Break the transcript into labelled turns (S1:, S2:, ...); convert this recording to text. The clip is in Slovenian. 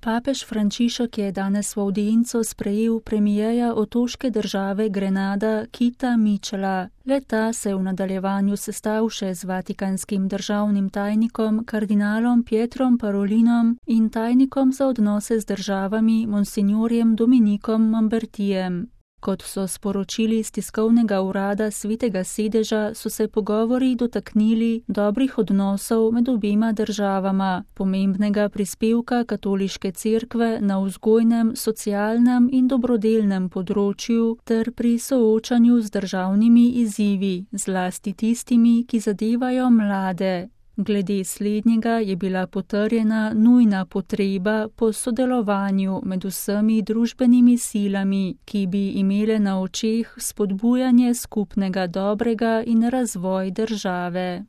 S1: Papež Frančišek je danes v avdienco sprejel premijeja otoške države Grenada Kita Mitchella. Le-ta se je v nadaljevanju sestal še z vatikanskim državnim tajnikom kardinalom Pietrom Parolinom in tajnikom za odnose z državami monsignorjem Dominikom Mambertijem. Kot so sporočili iz tiskovnega urada Svetega sedeža, so se pogovori dotaknili dobrih odnosov med obema državama, pomembnega prispevka katoliške cerkve na vzgojnem, socialnem in dobrodelnem področju ter pri soočanju z državnimi izzivi, zlasti tistimi, ki zadevajo mlade. Glede slednjega je bila potrjena nujna potreba po sodelovanju med vsemi družbenimi silami, ki bi imele na očeh spodbujanje skupnega dobrega in razvoj države.